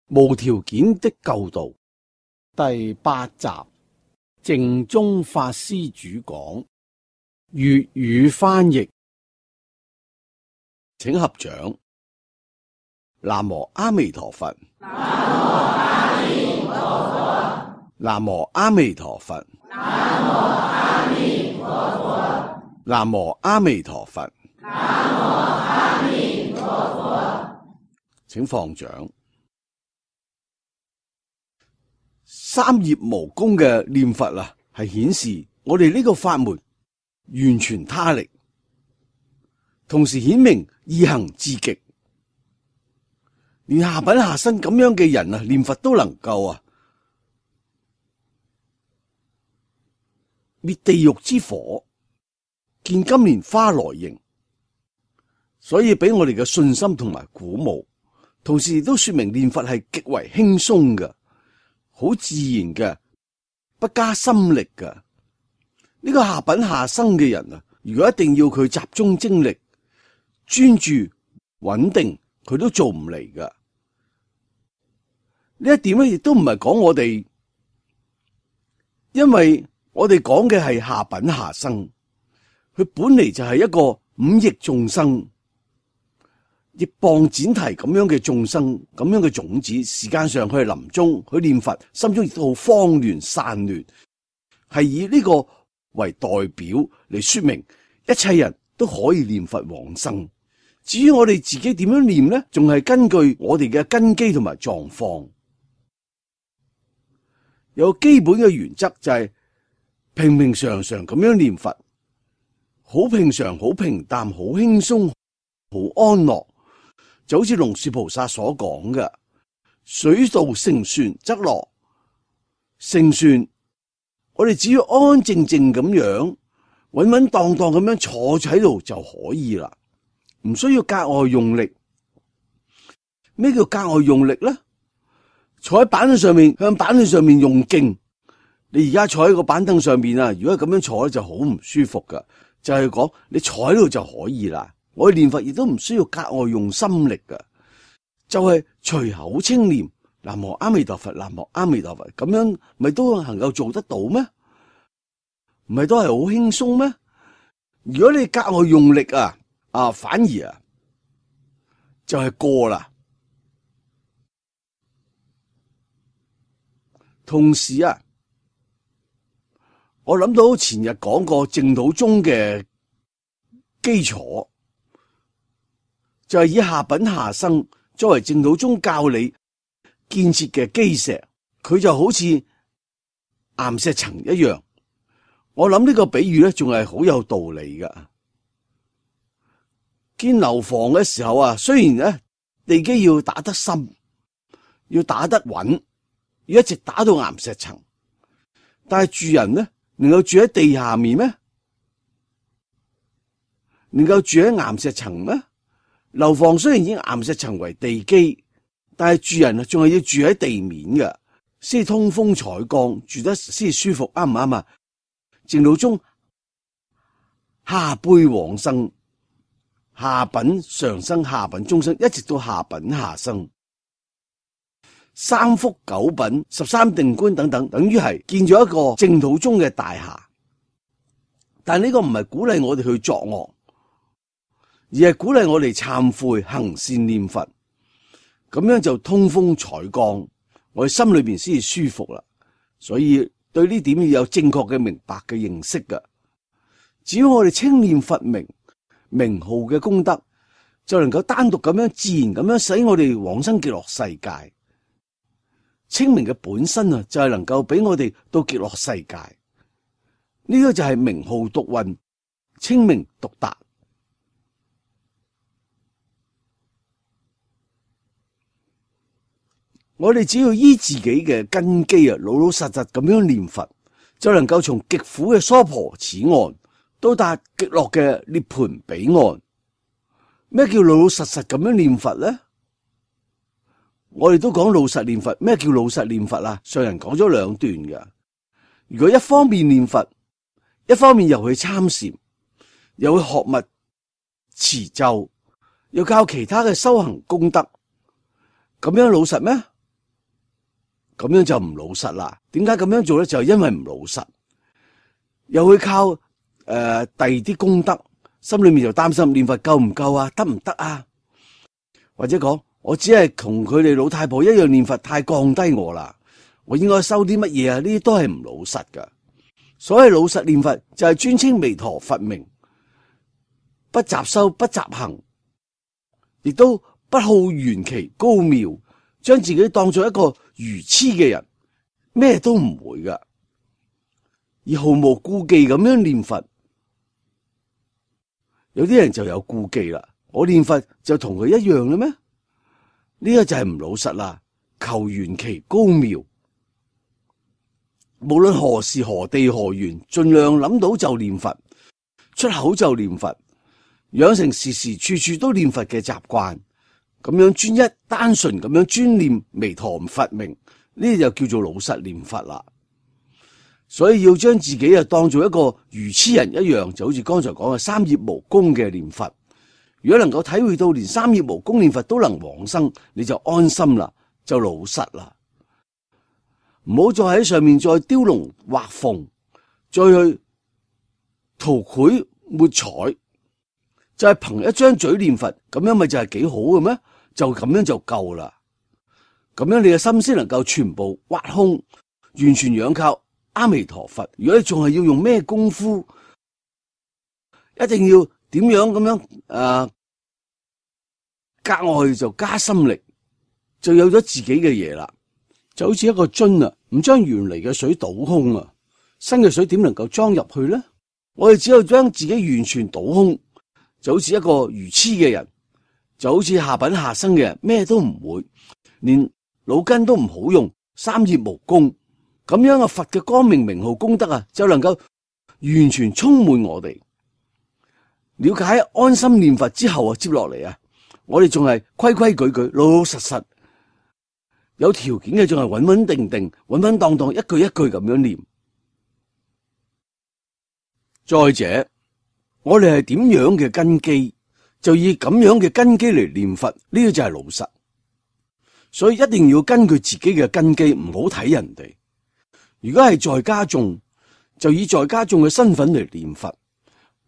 無條件的救度第8集，淨宗法師主講，粵語翻譯，請合掌。南無阿彌陀佛。南無阿彌陀佛。南無阿彌陀佛。南無阿彌陀佛。南無阿彌陀佛。請放掌。三業無功嘅念佛啊，係顯示我哋呢個法門完全他力，同時顯明意行至極。連下品下生咁樣嘅人啊，念佛都能夠啊滅地獄之火，見金蓮花來迎，所以俾我哋嘅信心同埋鼓舞，同時亦都說明念佛係極為輕鬆嘅，好自然嘅，不加心力嘅。呢個下品下生嘅人啊，如果一定要佢集中精力、專注、穩定，佢都做唔嚟噶。呢一點咧，亦都唔係講我哋，因為我哋講嘅係下品下生，佢本嚟就係一個五逆眾生，亦謗剪提咁樣嘅眾生，咁樣嘅種子，時間上佢係臨終，佢念佛，心中亦都好慌亂散亂，係以呢個為代表嚟說明一切人都可以念佛往生。至於我哋自己點樣念呢？仲係根據我哋嘅根基同埋狀況。有基本嘅原則就係平平常常咁樣念佛，好平常、好平淡、好輕鬆、好安樂，就好似龍樹菩薩所講嘅：水到成船則落。成船，我哋只要安安靜靜咁樣，穩穩當當咁樣坐喺度就可以啦，唔需要格外用力。咩叫格外用力呢？坐喺板凳上面，向板凳上面用勁。你而家坐喺個板凳上面啊，如果咁樣坐咧就好唔舒服噶。就係講你坐喺度就可以啦。我哋念佛亦都唔需要格外用心力噶，就係隨口稱念南無阿彌陀佛，南無阿彌陀佛，咁樣咪都能夠做得到咩？唔係都係好輕鬆咩？如果你格外用力啊，反而啊就係過啦。同時啊，我諗到前日講過淨土宗嘅基礎，就係以下品下生作為淨土宗教理建設嘅基石，佢就好似岩石層一樣。我諗呢個比喻咧，仲係好有道理噶。建樓房嘅時候啊，雖然咧地基要打得深，要打得穩，要一直打到岩石層，但係住人呢，能夠住喺地下面咩？能夠住喺岩石層咩？樓房雖然以岩石層為地基，但係住人啊，仲係要住喺地面嘅，先通風採光，住得先舒服，啱唔啱啊？淨土宗下輩往生，下品上生，下品中生，一直到下品下生。三福九品、13定觀等等，等於係建咗一個淨土宗嘅大廈。但呢個唔係鼓勵我哋去作惡，而係鼓勵我哋懺悔行善念佛，咁樣就通風採光，我哋心裏邊先至舒服啦。所以對呢點要有正確嘅明白嘅認識噶。只要我哋稱念佛名號嘅功德，就能夠單獨咁樣自然咁樣使我哋往生極樂世界。清明嘅本身啊，就係能夠俾我哋到極樂世界。呢個就係名號獨運，清明獨達。我哋只要依自己嘅根基啊，老老實實咁樣念佛，就能夠從極苦嘅娑婆此岸到達極樂嘅涅槃彼岸。咩叫老老實實咁樣念佛呢？我哋都講老實念佛，咩叫老實念佛啊？上人講咗兩段嘅。如果一方面念佛，一方面又去參禪，又去學密持咒，又靠其他嘅修行功德，咁樣老實咩？咁樣就唔老實啦。點解咁樣做咧？就係因為唔老實，又會靠第二啲功德，心裏面就擔心念佛夠唔夠啊，得唔得啊？或者講我只係同佢哋老太婆一樣念佛，太降低我啦，我應該收啲乜嘢啊？呢啲都係唔老實噶。所謂老實念佛就係尊稱彌陀佛名，不雜修不雜行，亦都不好緣奇高妙，將自己當作一個愚痴嘅人，咩都唔會噶，而毫無顧忌咁樣念佛。有啲人就有顧忌啦，我念佛就同佢一樣啦咩？呢個就係唔老實啦，求緣奇高妙。無論何時何地何緣，盡量諗到就念佛，出口就念佛，養成時時處處都念佛嘅習慣，咁樣專一單純咁樣專念彌陀佛名，呢就叫做老實念佛啦。所以要將自己當做一個愚痴人一樣，就好似剛才講嘅三業無功嘅念佛。如果能夠體會到連三業無功念佛都能往生，你就安心啦，就老實啦。唔好再喺上面再雕龍畫鳳，再去塗繪抹彩，就係憑一張嘴念佛，咁樣咪就係幾好嘅咩？就咁樣就夠啦。咁樣你嘅心先能夠全部挖空，完全仰靠阿彌陀佛。如果你仲係要用咩功夫，一定要點樣咁樣格外就加心力，就有咗自己嘅嘢啦。就好似一個樽啊，唔將原嚟嘅水倒空啊，新嘅水點能夠裝入去咧？我哋只有將自己完全倒空，就好似一個愚痴嘅人，就好似下品下生嘅人，咩都唔會，連腦筋都唔好用，三業無功。咁樣嘅佛嘅光明名號功德啊，就能夠完全充滿我哋。了解安心念佛之後啊，接落嚟啊，我哋仲係規規矩矩、老老實實。有條件嘅仲係穩穩定定、穩穩當當，一句一句咁樣念。再者，我哋係點樣嘅根基，就以咁樣嘅根基嚟念佛，呢個就係老實。所以一定要根據自己嘅根基，唔好睇人哋。如果係在家眾，就以在家眾嘅身份嚟念佛，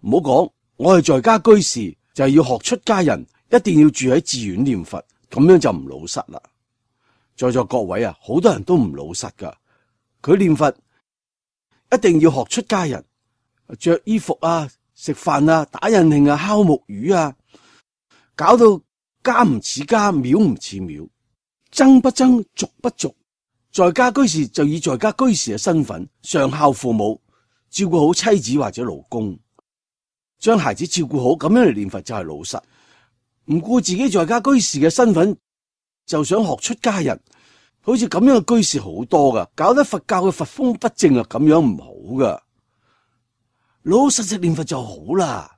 唔好講我係在家居士，就係要學出家人，一定要住喺寺院念佛，咁樣就唔老實啦。在座各位啊，好多人都唔老實噶，佢念佛一定要學出家人，着衣服啊、食飯啊、打印慶啊、敲木魚啊，搞到家唔似家，廟唔似廟，僧不僧，俗不俗。在家居士就以在家居士嘅身份，上孝父母，照顧好妻子或者老公，將孩子照顧好，咁樣嚟念佛就係老實。唔顧自己在家居士嘅身份，就想學出家人，好似咁樣嘅居士好多噶，搞得佛教嘅佛風不正啊，咁樣唔好噶。老老實實念佛就好啦，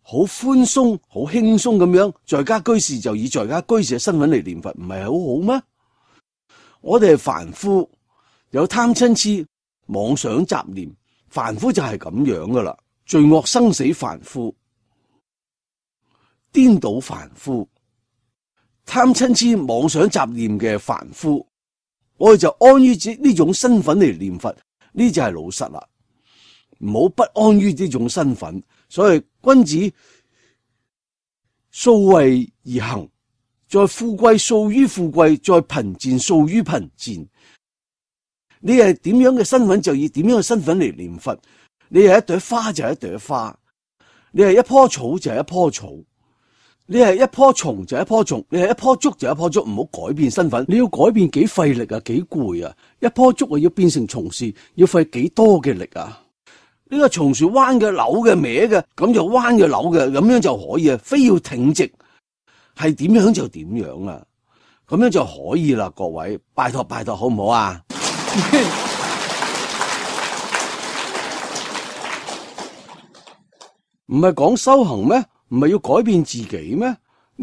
好寬鬆、好輕鬆咁樣，在家居士就以在家居士嘅身份嚟念佛，唔係好好咩？我哋係凡夫，有貪嗔癡、妄想雜念，凡夫就係咁樣噶啦，罪惡生死凡夫，顛倒凡夫。貪嗔癡妄想雜念嘅凡夫，我哋就安於呢種身份嚟念佛，呢就係老實啦。唔好不安於呢種身份，所以君子素位而行，在富貴素於富貴，在貧賤素於貧賤。你係點樣嘅身份，就以點樣嘅身份嚟念佛。你係一朵花就係一朵花，你係一棵草就係一棵草。你係一棵蟲就一棵蟲，你係一棵竹就一棵竹，唔好改變身份。你要改變幾費力啊，幾攰啊！一棵竹啊要變成松樹，要費幾多嘅力啊！呢個松樹彎嘅、扭嘅、歪嘅，咁就彎嘅、扭嘅，咁樣就可以啊！非要挺直，係點樣就點樣啊！咁樣就可以啦，各位，拜託拜託，好唔好啊？唔係講修行咩？唔係要改變自己咩？呢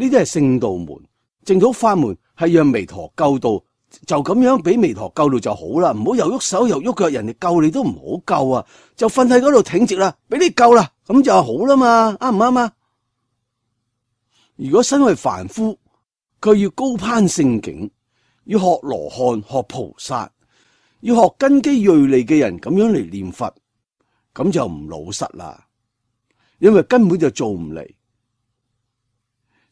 啲係聖道門、淨土法門，係讓彌陀救度，就咁樣俾彌陀救度就好啦。唔好又喐手又喐腳，人哋救你都唔好救啊！就瞓喺嗰度挺直啦，俾你救啦，咁就好啦嘛，啱唔啱啊？如果身為凡夫，佢要高攀聖境，要學羅漢、學菩薩，要學根基銳利嘅人咁樣嚟念佛，咁就唔老實啦，因為根本就做唔嚟。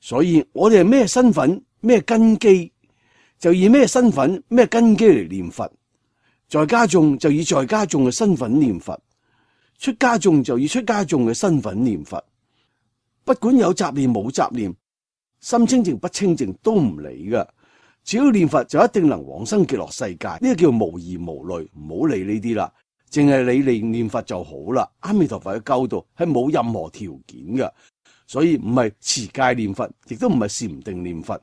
所以我哋係咩身份、咩根基，就以咩身份、咩根基嚟念佛。在家眾就以在家眾嘅身份念佛，出家眾就以出家眾嘅身份念佛。不管有雜念冇雜念，心清淨不清淨都唔理噶。只要念佛就一定能往生極樂世界，呢個叫無疑無慮，唔好理呢啲啦，淨係你念佛就好啦。阿彌陀佛嘅教導係冇任何條件嘅，所以唔係持戒念佛，亦都唔係禪定念佛，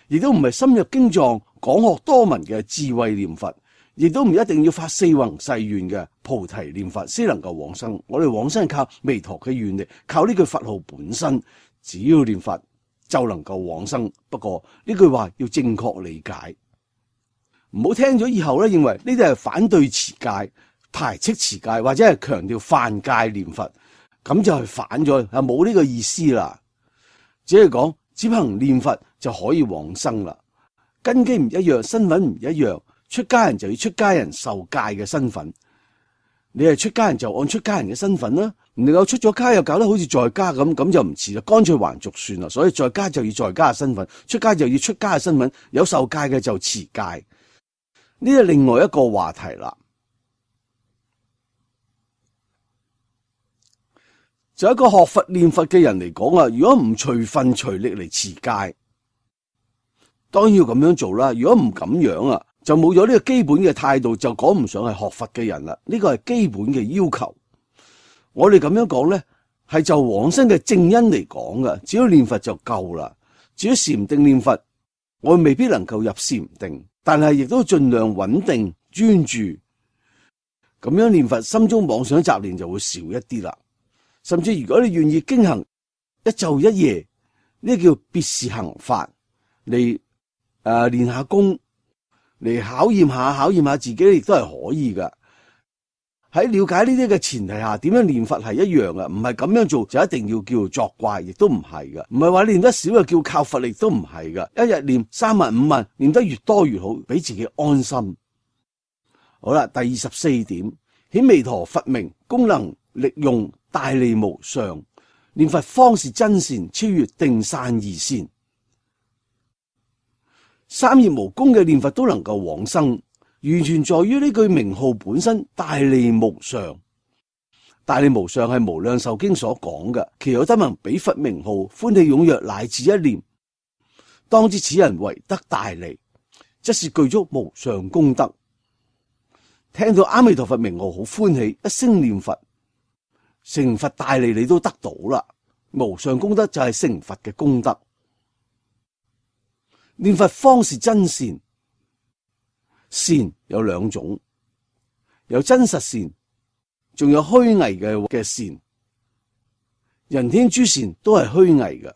亦都唔係深入經藏廣學多聞嘅智慧念佛，亦都唔一定要發四弘誓願嘅菩提念佛先能夠往生。我哋往生係靠彌陀嘅願力，靠呢句佛號本身，只要念佛就能夠往生。不過呢句話要正確理解，唔好聽咗以後咧，認為呢啲係反對持戒、排斥持戒，或者係強調犯戒念佛，咁就係反咗，係冇呢個意思啦。只係講只憑念佛就可以往生啦。根基唔一樣，身份唔一樣，出家人就要出家人受戒嘅身份。你係出家人就按出家人嘅身份啦，唔能夠出咗家又搞得好似在家咁，咁就唔似啦，乾脆還俗算啦。所以在家就要在家嘅身份，出家就要出家嘅身份，有受戒嘅就持戒。呢係另外一個話題啦。就一個學佛念佛嘅人嚟講啊，如果唔隨分隨力嚟持戒，當然要咁樣做啦。如果唔咁樣啊，就冇咗呢個基本嘅態度，就講唔上係學佛嘅人啦。呢個係基本嘅要求。我哋咁樣講咧，係就往生嘅正因嚟講噶。只要念佛就夠啦。至於禪定念佛，我未必能夠入禪定，但係亦都盡量穩定專注。咁樣念佛，心中妄想雜念就會少一啲啦。甚至如果你願意經行一晝一夜，呢叫別事行法嚟練下功，嚟考驗下自己，亦都係可以噶。喺了解呢啲嘅前提下，點樣念佛係一樣嘅，唔係咁樣做就一定要叫做作怪，亦都唔係噶。唔係話念得少就叫靠佛力，都唔係噶。一日念3萬5萬，念得越多越好，俾自己安心。好啦，第24點，顯彌陀佛名功能力用大利無上，念佛方是真善，超越定散二善。三業無功嘅念佛都能夠往生，完全在於呢句名號本身大利無上。大利無上係無量壽經所講嘅，其有得聞彼佛名號，歡喜踴躍乃至一念，當知此人為得大利，則是具足無上功德。聽到阿彌陀佛名號好歡喜，一聲念佛，成佛大利你都得到啦。無上功德就係成佛嘅功德。念佛方是真善，善有兩種，有真實善，仲有虛偽嘅善。人天諸善都係虛偽嘅，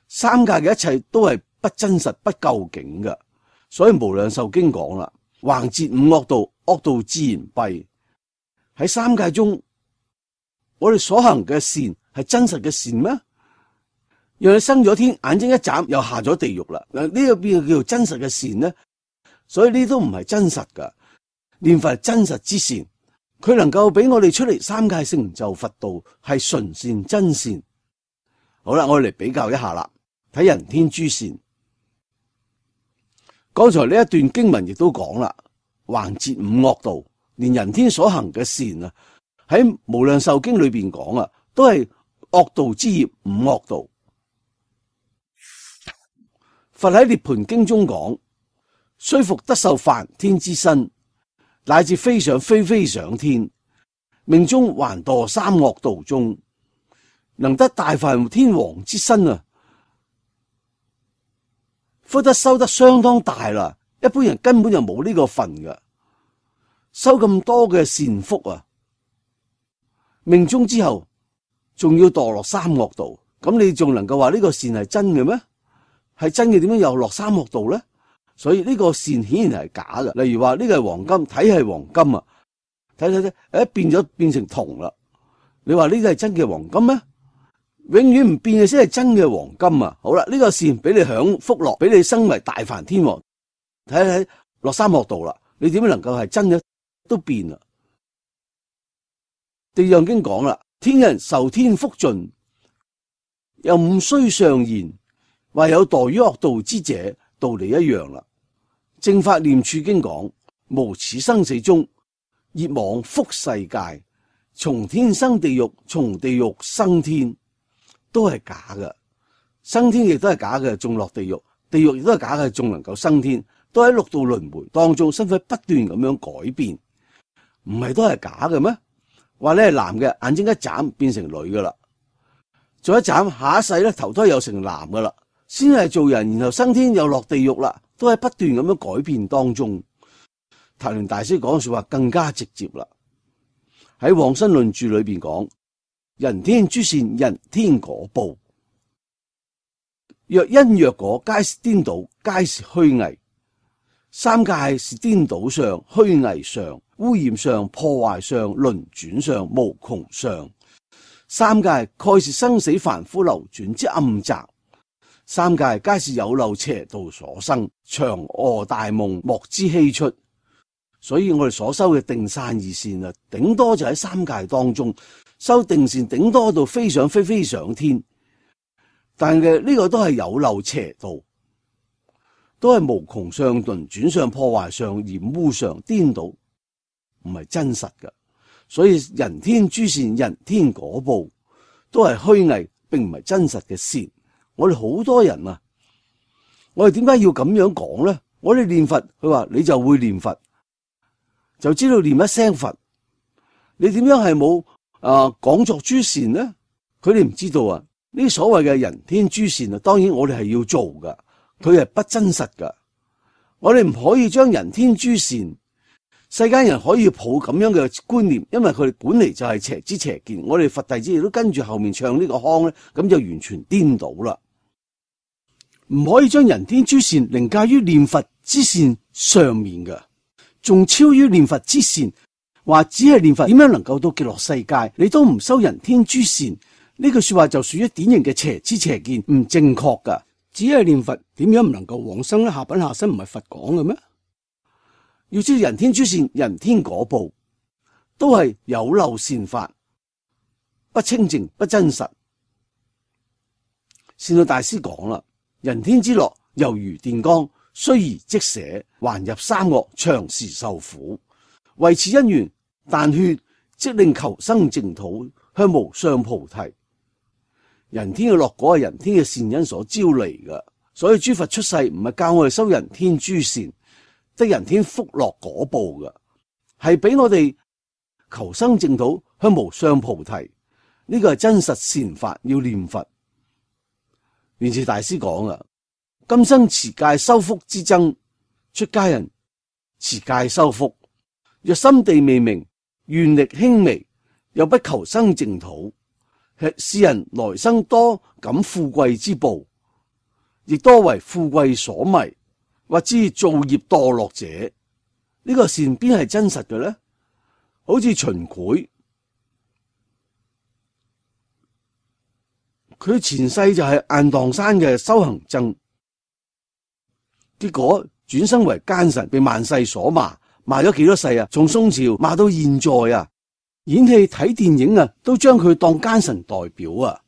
三界嘅一切都係不真實不究竟嘅。所以無量壽經講啦，橫截五惡道，惡道自然弊。喺三界中，我哋所行嘅善係真實嘅善咩？讓你生咗天，眼睛一眨又下咗地獄啦。嗱，呢個邊個叫做真實嘅善呢？所以呢都唔係真實噶。念佛係真實之善，佢能夠俾我哋出嚟三界成就佛道，係純善真善。好啦，我哋嚟比較一下啦，睇人天諸善。剛才呢一段經文亦都講啦，橫截五惡道，連人天所行嘅善啊，喺無量壽經裏邊講啊，都係惡道之業，五惡道。佛喺涅槃經中講，雖復得受梵天之身，乃至飛上飛上天，命中還墮三惡道中，能得大梵天王之身啊！福德收得相當大啦，一般人根本就冇呢個份㗎，收咁多嘅善福啊！命中之後仲要墮落三惡道，咁你仲能夠話呢個善係真嘅咩？係真嘅，點樣又落三惡道咧？所以呢個善顯然係假嘅。例如話呢個係黃金，睇係黃金啊，睇，變成銅啦。你話呢個係真嘅黃金咩？永遠唔變嘅先係真嘅黃金啊！好啦，呢個善俾你享福樂，俾你生為大梵天王，睇落三惡道啦，你點樣能夠係真嘅都變啦。地藏經講啦，天人受天福盡，又唔須上言，話有墮於惡道之者，道理一樣啦。正法念處經講，無始生死中，業往復世界，從天生地獄，從地獄生天，都係假嘅。生天亦都係假嘅，仲落地獄，地獄亦都係假嘅，仲能夠生天，都喺六道輪迴當中，身體不斷咁樣改變，唔係都係假嘅咩？話你係男嘅，眼睛一眨變成女噶啦，再一眨下一世咧投胎又成男噶啦，先係做人，然後生天又落地獄啦，都喺不斷咁樣改變當中。曇鸞大師講嘅說話更加直接啦，喺《往生論注》裏邊講，人天諸善，人天果報，若因若果，皆是顛倒，皆是虛偽。三界是顛倒相、虛偽相、污染相、破壞相、輪轉相、無窮相。三界蓋是生死凡夫流轉之暗宅，三界皆是有漏邪道所生，長臥大夢，莫知希出。所以我哋所修嘅定散二善啊，頂多就喺三界當中修定善，頂多到飛上飛上天，但係呢個都係有漏邪道，都係無窮相、輪轉相、破壞相、染污相、顛倒，唔係真實嘅。所以人天諸善，人天果報，都係虛偽，並唔係真實嘅善。我哋好多人啊，我哋點解要咁樣講咧？我哋念佛，佢話你就會念佛，就知道念一聲佛，你點樣係冇講作諸善呢？佢哋唔知道啊！呢啲所謂嘅人天諸善啊，當然我哋係要做噶，佢係不真實噶。我哋唔可以將人天諸善，世間人可以抱咁樣嘅觀念，因為佢哋本嚟就係邪知邪見。我哋佛弟子亦都跟住後面唱呢個腔咧，咁就完全顛倒啦。唔可以將人天諸善凌駕於念佛之善上面嘅，仲超於念佛之善。話只係念佛點樣能夠到極樂世界，你都唔修人天諸善，呢句說話就屬於典型嘅邪知邪見，唔正確噶。只係念佛點樣唔能夠往生呢？下品下生唔係佛講嘅咩？要知道人天諸善，人天果報，都係有漏善法，不清淨不真實。善導大師講啦，人天之樂猶如電光，雖而即捨，還入三惡，長時受苦。為此因緣，但勸即令求生淨土，向無上菩提。人天嘅樂果係人天嘅善因所招嚟嘅，所以諸佛出世唔係教我哋修人天諸善，得人天福樂果報嘅，係俾我哋求生淨土，向無上菩提。呢個係真實善法，要念佛。蓮池大師講啊，今生持戒修福之僧，出家人持戒修福，若心地未明，願力輕微，又不求生淨土，是人來生多感富貴之報，亦多為富貴所迷，或知造業墮落者。呢個善邊係真實嘅呢？好似秦檜，佢前世就係雁蕩山嘅修行僧，結果轉生為奸臣，被萬世所罵。罵咗幾多世啊？從宋朝罵到現在啊，演戲睇電影啊，都將佢當奸臣代表啊。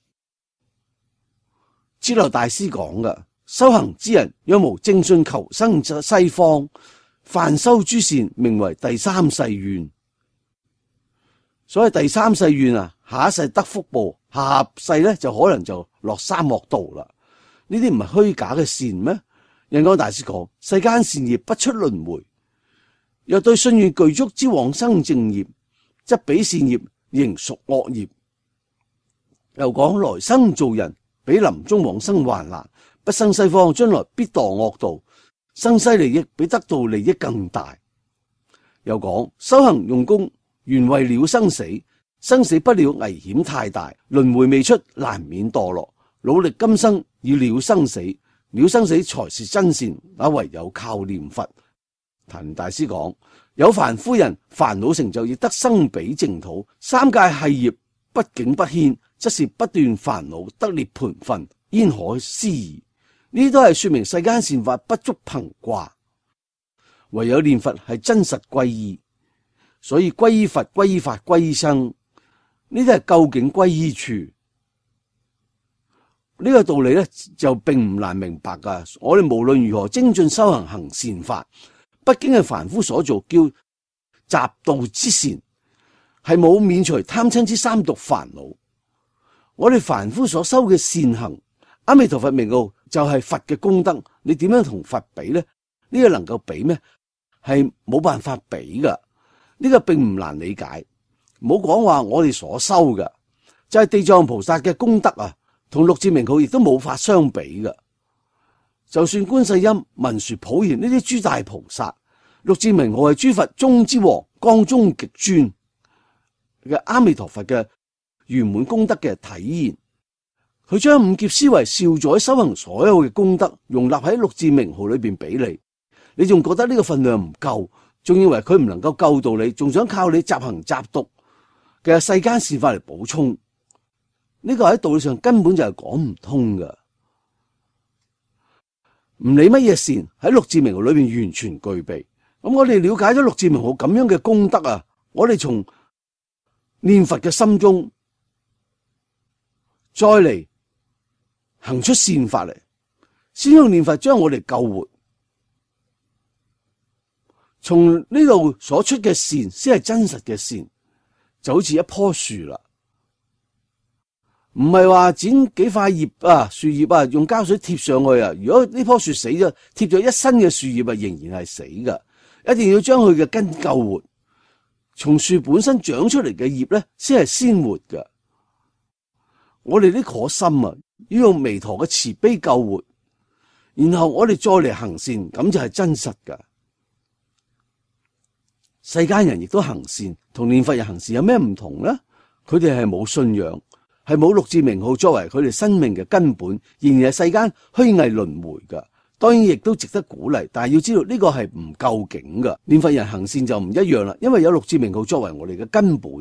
支流大師講噶，修行之人若無正信求生西方，凡修諸善，名為第三世願。所謂第三世願啊，下一世得福報，下世咧就可能就落三惡道啦。呢啲唔係虛假嘅善咩？印光大師講，世間善業不出輪迴。若對信願具足之往生正業，則彼善業仍屬惡業。又講來生做人，比臨終往生還難，不生西方，將來必墮惡道。生西利益比得到利益更大。又講修行用功，原為了生死，生死不了危險太大，輪迴未出，難免墮落。努力今生以了生死，了生死才是真善，那唯有靠念佛。曇大師講，有凡夫人煩惱成就，亦得生彼淨土。三界係業，不境不牽，則是不斷煩惱得涅槃分，焉可思議？呢啲都係說明世間善法不足憑掛。唯有念佛係真實歸依，所以歸依佛、歸依法、歸依僧，呢啲係究竟歸依處。呢個道理咧就並唔難明白噶。我哋無論如何精進修行行善法，畢竟係凡夫所做，叫習道之善，係冇免除貪嗔之三毒煩惱。我哋凡夫所修嘅善行，阿彌陀佛名號就係佛嘅功德，你點樣同佛比呢？呢個能夠比咩？係冇辦法比噶。呢個並唔難理解。唔好講話我哋所修嘅，就係地藏菩薩嘅功德啊，同六字名號亦都冇法相比噶。就算觀世音、文殊、普賢呢啲諸大菩薩，六字名號係諸佛中之王、光中極尊嘅阿彌陀佛嘅圓滿功德嘅體現。佢將五劫思維少載修行所有嘅功德容納喺六字名號裏邊俾你仲覺得呢個分量唔夠，仲以為佢唔能夠救到你，仲想靠你習行習讀嘅世間善法嚟補充。呢個喺道理上根本就係講唔通噶。唔理乜嘢善喺六字名號裏邊完全具備。咁我哋了解咗六字名號咁樣嘅功德啊，我哋從念佛嘅心中再嚟行出善法嚟，先用念佛將我哋救活。從呢度所出嘅善先係真實嘅善，就好似一棵樹啦，唔係話剪幾塊葉啊、樹葉啊，用膠水貼上去啊。如果呢棵樹死咗，貼咗一身嘅樹葉啊，仍然係死噶。一定要將佢嘅根救活，從樹本身長出嚟嘅葉咧，先係鮮活噶。我哋呢顆心啊，要用彌陀嘅慈悲救活，然後我哋再嚟行善，咁就係真實噶。世間人亦都行善，同念佛人行善有咩唔同呢？佢哋係冇信仰，係冇六字名號作為佢哋生命嘅根本，仍然係世間虛偽輪迴噶。當然亦都值得鼓勵，但係要知道呢個係唔究竟噶。念佛人行善就唔一樣啦，因為有六字名號作為我哋嘅根本。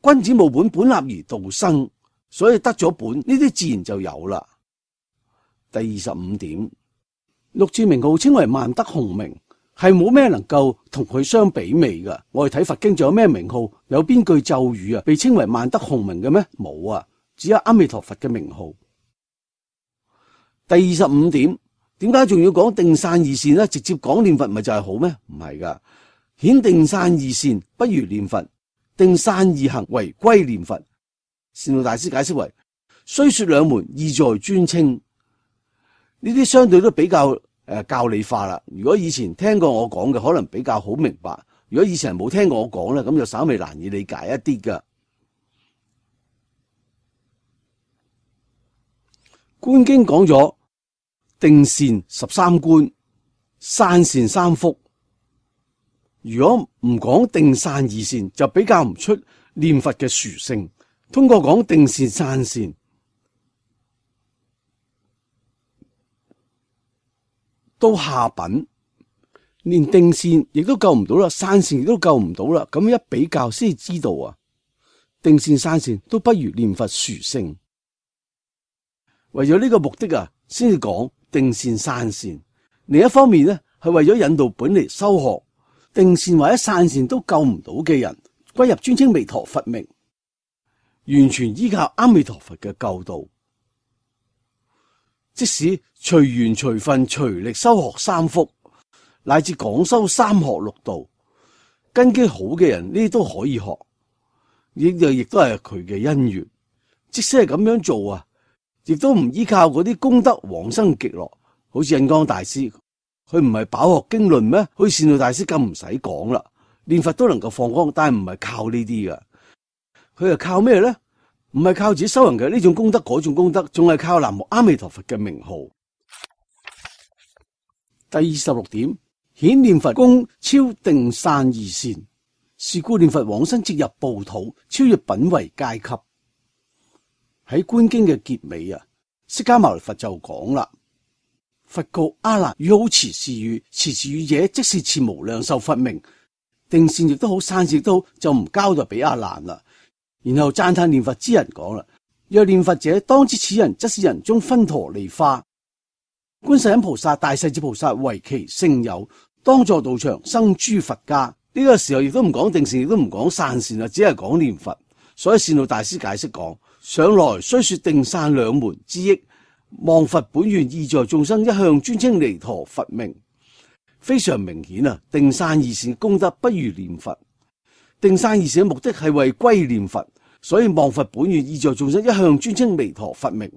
君子務本，本立而道生，所以得咗本，呢啲自然就有啦。第25點，六字名號稱為萬德洪名，係冇咩能夠同佢相比擬噶。我哋睇佛經仲有咩名號，有邊句咒語啊被稱為萬德洪名嘅咩？冇啊，只有阿彌陀佛嘅名號。第25點，點解仲要講定散二善呢？直接講念佛咪就係好咩？唔係噶，顯定散二善不如念佛，定散二行為歸念佛。善導大師解釋為：雖說兩門，意在尊稱。呢啲相對都比較教理化啦。如果以前聽過我講嘅，可能比較好明白；如果以前冇聽過我講咧，咁就稍微難以理解一啲噶。觀經講咗定善13觀，散善3福。如果唔講定散二善，就比較唔出念佛嘅殊勝。通過講定善散善，到下品連定善亦都救唔到啦，散善亦都救唔到啦。咁一比較先知道啊，定善散善都不如念佛殊勝。為咗呢個目的啊，先至講定善散善。另一方面呢，係為咗引導本嚟修學定善或者散善都救唔到嘅人歸入尊稱彌陀佛名，完全依靠阿彌陀佛嘅救度。即使隨緣隨分隨力修學3福，乃至廣修3學6道，根基好嘅人呢啲都可以學，亦都係佢嘅因緣。即使係咁樣做啊，亦都唔依靠嗰啲功德往生極樂。好似印光大師，佢唔係飽學經論咩？好似善導大師咁唔使講啦，念佛都能夠放光，但係唔係靠呢啲噶。佢係靠咩咧？唔係靠自己修行嘅呢種功德嗰種功德，仲係靠南無阿彌陀佛嘅名號。第26點，顯念佛功超定散二善，是故念佛往生即入報土，超越品位階級。喺觀經嘅結尾啊，釋迦牟尼佛就講啦：佛告阿難，汝好持是語，持是語者，即是持無量壽佛名。定善亦都好，散善亦都好，就唔交代俾阿難啦。然後讚歎念佛之人講啦：若念佛者，當知此人則是人中分陀利花。觀世音菩薩、大勢至菩薩為其聖友，當座道場生諸佛家。呢個時候亦都唔講定善，亦都唔講散善啦，只係講念佛。所以善導大師解釋講，上來雖說定散兩門之益，望佛本願意在眾生一向尊稱彌陀佛名，非常明顯啊！定散二善功德不如念佛。定散二善嘅目的係為歸念佛，所以望佛本願意在眾生一向尊稱彌陀佛名。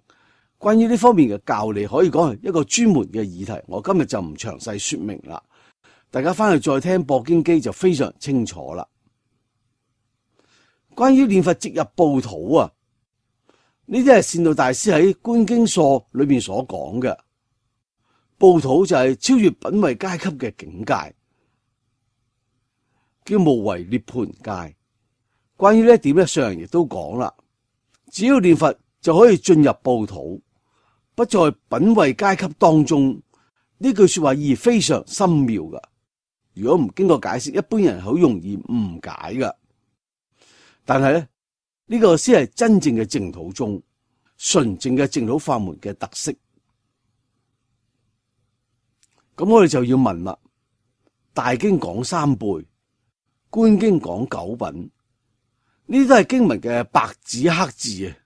關於呢方面嘅教理，可以講係一個專門嘅議題，我今日就唔詳細說明啦。大家翻去再聽播經機就非常清楚啦。關於念佛直入報土啊，呢啲係善導大師喺《觀經疏》裏面所講嘅。報土就係超越品位階級嘅境界，叫無為涅槃界。關於呢一點咧，上人亦都講啦，只要念佛就可以進入報土，不在品位階級當中。呢句說話意義非常深妙噶，如果唔經過解釋，一般人好容易誤解噶。但係咧，呢個先係真正嘅淨土宗，純正嘅淨土法門嘅特色。咁我哋就要問啦，大經講三輩，觀經講九品，呢啲都係經文嘅白紙黑字啊！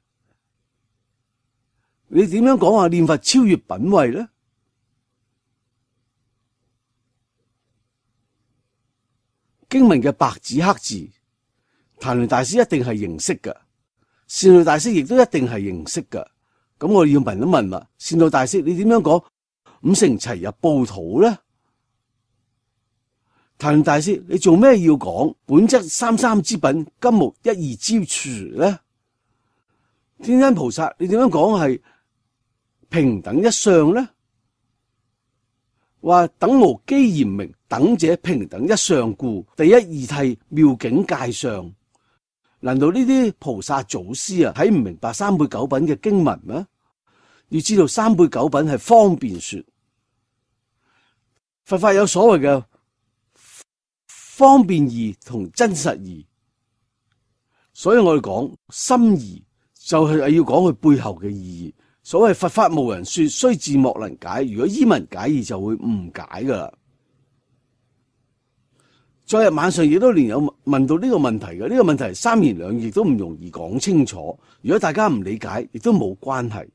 你點樣講話念佛超越品位咧？經文嘅白紙黑字，曇鸞大師一定係認識嘅，善導大師亦都一定係認識嘅。咁我哋要問一問啦，善導大師你點樣講五乘齊入報土咧？曇鸞大師你做咩要講本質三三之品，金木一二之處咧？天恩菩薩你點樣講係平等一相咧？話等無機嚴明，等者平等一相故，第一義諦妙境界上。難道呢啲菩薩祖師啊睇唔明白三輩九品嘅經文咩？要知道三輩九品係方便說，佛法有所謂嘅方便義同真實義，所以我哋講心義就係要講佢背後嘅意義。所謂佛法無人說，雖字莫能解。如果依文解義就會誤解噶啦。昨日晚上亦都連有問到呢個問題嘅，呢個問題三言兩語亦都唔容易講清楚。如果大家唔理解，亦都冇關係，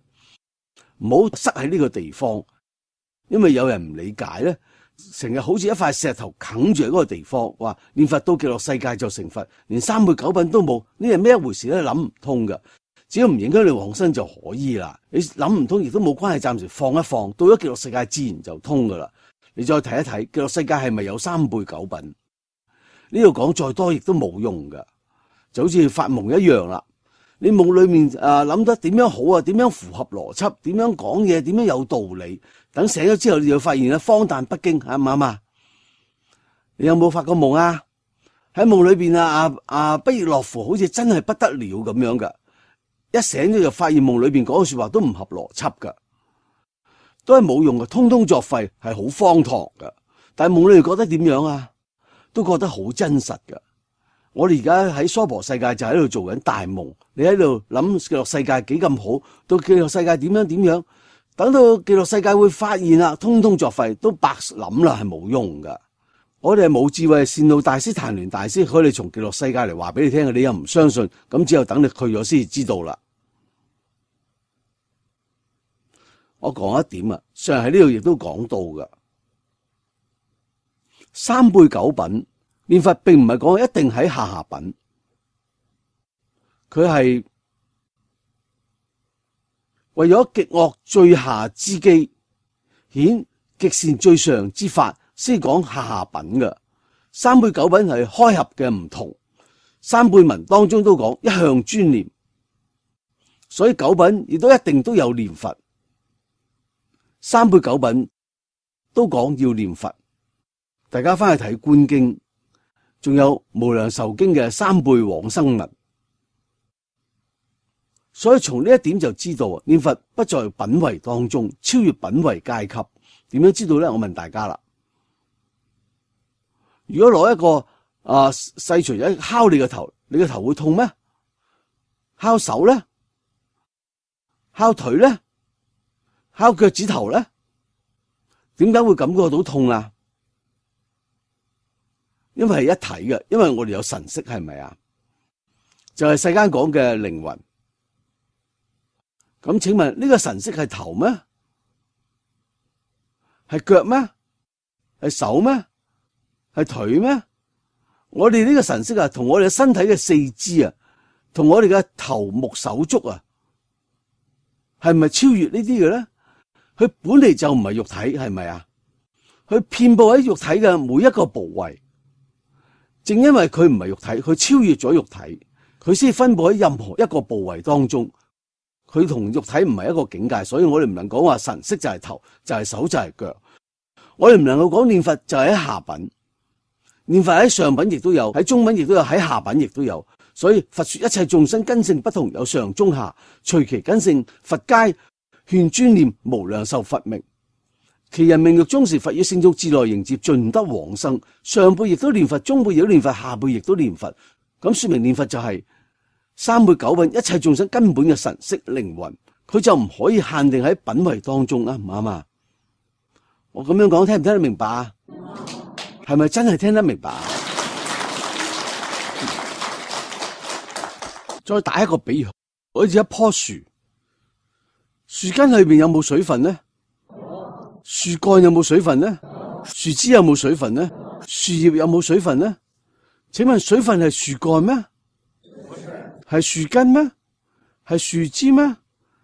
唔好塞喺呢個地方，因為有人唔理解咧，成日好似一塊石頭啃住喺嗰個地方，話念佛到極樂世界就成佛，連三輩九品都冇，呢係咩一回事咧？諗唔通噶。只要唔影響你往生就可以啦，你諗唔通亦都冇關係，暫時放一放，到咗極樂世界自然就通噶啦。你再睇一睇極樂世界係咪有三輩九品？呢度講再多亦都冇用噶，就好似發夢一樣啦。你夢裏面諗得點樣好啊？點樣符合邏輯？點樣講嘢？點樣有道理？等醒咗之後，你就發現咧荒誕不經，啱唔啱啊？你有冇發過夢啊？喺夢裏邊不亦樂乎，好似真係不得了咁樣噶。一醒咗就發現夢裏邊講嘅說話都唔合邏輯噶，都係冇用嘅，通通作廢，係好荒唐噶。但係夢裏邊覺得點樣啊？都覺得好真實噶。我哋而家喺娑婆世界就喺度做緊大夢，你喺度諗極樂世界幾咁好，到極樂世界點樣點樣，等到極樂世界會發現啦，通通作廢，都白諗啦，係冇用噶。我哋係冇智慧，善導大師、曇鸞大師，佢哋從極樂世界嚟話俾你聽嘅，你又唔相信，咁只有等你去咗先至知道啦。我講一點啊，上喺呢度亦都講到噶，三輩九品念佛並唔係講一定喺下品，佢係為咗極惡最下之機，顯極善最上之法，先講下品嘅。三輩九品係開合嘅唔同，三輩文當中都講一向專念，所以九品亦都一定都有念佛。三輩九品都講要念佛，大家翻去睇觀經，仲有無量壽經嘅三輩往生文，所以從呢一點就知道念佛不在品位當中，超越品位階級。點樣知道咧？我問大家啦。如果攞一個細錘仔敲你個頭，你個頭會痛咩？敲手咧？敲腿咧？敲腳趾頭咧？點解會感覺到痛啊？因為係一體嘅，因為我哋有神識，係咪啊？就係世間講嘅靈魂。咁請問呢個神識係頭咩？係腳咩？係手咩？係腿咩？我哋呢個神識啊，同我哋身體嘅四肢啊，同我哋嘅頭目手足啊，係咪超越呢啲嘅咧？佢本嚟就唔係肉體，係咪啊？佢遍布喺肉體嘅每一個部位，正因為佢唔係肉體，佢超越咗肉體，佢先分布喺任何一個部位當中。佢同肉體唔係一個境界，所以我哋唔能講話神識就係頭，就係手，就係腳。我哋唔能夠講念佛就係喺下品，念佛喺上品亦都有，喺中品亦都有，喺下品亦都有。所以佛說一切眾生根性不同，有上中下，隨其根性，佛皆勸專念無量壽佛名。其人命欲終時，佛與聖眾自來迎接，盡得往生。上輩亦都念佛，中輩亦都念佛，下輩亦都念佛。咁說明念佛就係三輩九品一切眾生根本嘅神識靈魂，佢就唔可以限定喺品位當中啊，唔啱啊？我咁樣講聽唔聽得明白啊？係咪真係聽得明白啊？再打一個比喻，好似一棵樹，樹根裏邊有冇水分呢？樹幹有冇水分呢？樹枝有冇水分呢？樹葉有冇水分呢？請問水分係樹幹咩？係樹根咩？係樹枝咩？